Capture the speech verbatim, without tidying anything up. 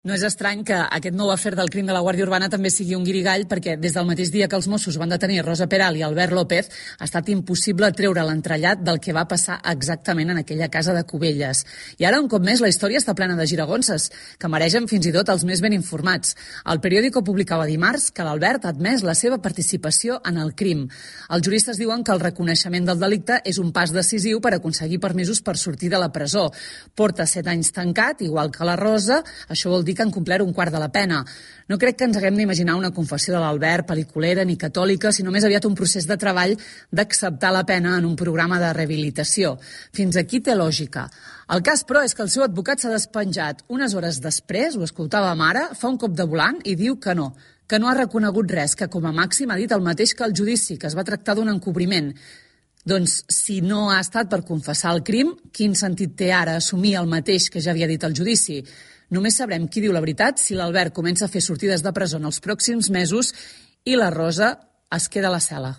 No és estrany que aquest nou afer del crim de la Guàrdia Urbana també sigui un guirigall, perquè des del mateix dia que els Mossos van detenir Rosa Peral i Albert López ha estat impossible treure l'entrellat del que va passar exactament en aquella casa de Cubelles. I ara, un cop més, la història està plena de giragonses, que mereixen fins i tot els més ben informats. El periòdico publicava dimarts que l'Albert ha admès la seva participació en el crim. Els juristes diuen que el reconeixement del delicte és un pas decisiu per aconseguir permisos per sortir de la presó. Porta set anys tancat, igual que la Rosa, això vol dir que han complert un quart de la pena. No crec que ens haguem d'imaginar una confessió de l'Albert pel·liculera ni catòlica, sinó més aviat un procés de treball d'acceptar la pena en un programa de rehabilitació. Fins aquí té lògica. El cas, però, és que el seu advocat s'ha despenjat unes hores després, ho escoltàvem ara, fa un cop de volant i diu que no, que no ha reconegut res, que com a màxim ha dit el mateix que el judici, que es va tractar d'un encobriment. Doncs, si no ha estat per confessar el crim, quin sentit té ara assumir el mateix que ja havia dit al judici? Només sabrem qui diu la veritat si l'Albert comença a fer sortides de presó en els pròxims mesos i la Rosa es queda a la cel·la.